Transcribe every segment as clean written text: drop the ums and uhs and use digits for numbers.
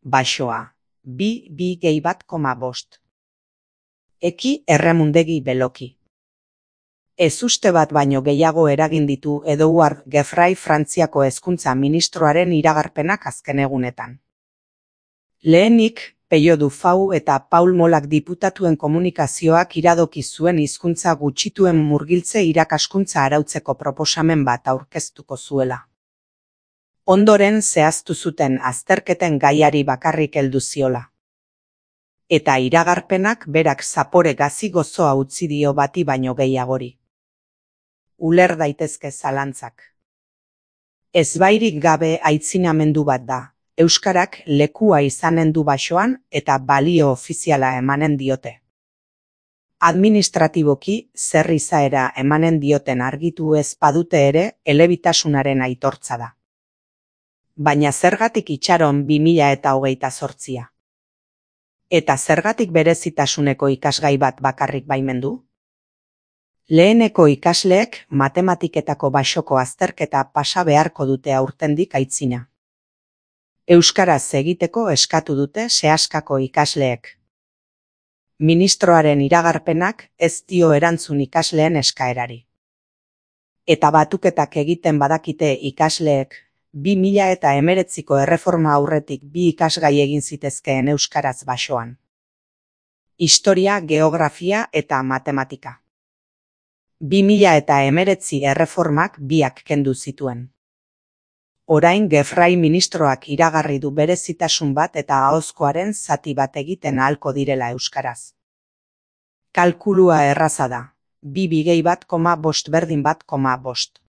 Basoa, 2,1,5. Eki erremundegi beloki. Ez uste bat baino gehiago eragin ditu Edouard Geoffroy Frantziako hezkuntza ministroaren iragarpenak azken egunetan. Lehenik, Peio Dufau eta Paul Molak diputatuen komunikazioak iradoki zuen hizkuntza gutxituen murgiltze irakaskuntza arautzeko proposamen bat aurkeztuko zuela. Ondoren zehaztu zuten azterketen gaiari bakarrik heldu ziola. Eta iragarpenak berak zapore gazi gozoa utzi dio bati baino gehiagori. Uler daitezke zalantzak. Ezbairik gabe aitzinamendu bat da. Euskarak lekua izanen du basoan eta balio ofiziala emanen diote. Administratiboki zer izaera emanen dioten argitu ez badute ere elebitasunaren aitortza da. Baina zergatik itxaron 2028? Eta zergatik berezitasuneko ikasgai bat bakarrik baimendu? Leheneko ikasleek matematiketako basoko azterketa pasa beharko dute aurtendik aitzina. Euskaraz egiteko eskatu dute sehaskako ikasleek. Ministroaren iragarpenak ez dio erantzun ikasleen eskaerari. Eta batuketak egiten badakite ikasleek, 2019ko erreforma aurretik 2 ikasgai egin zitezkeen euskaraz basoan. Historia, geografia eta matematika. 2019 erreformak 2 kendu zituen. Orain Geoffroy ministroak iragarri du berezitasun bat eta ahozkoaren zati bat egiten ahalko direla euskaraz. Kalkulua erraza da, 2,1,5 berdin 1,5.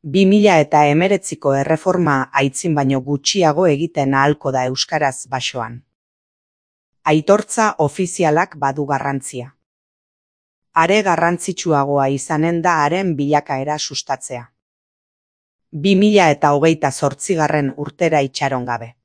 2019ko erreforma aitzin baino gutxiago egiten ahalko da euskaraz basoan. Aitortza ofizialak badu garrantzia. Are garrantzitsuagoa izanen da haren bilakaera sustatzea. 2028 urtera itxaron gabe.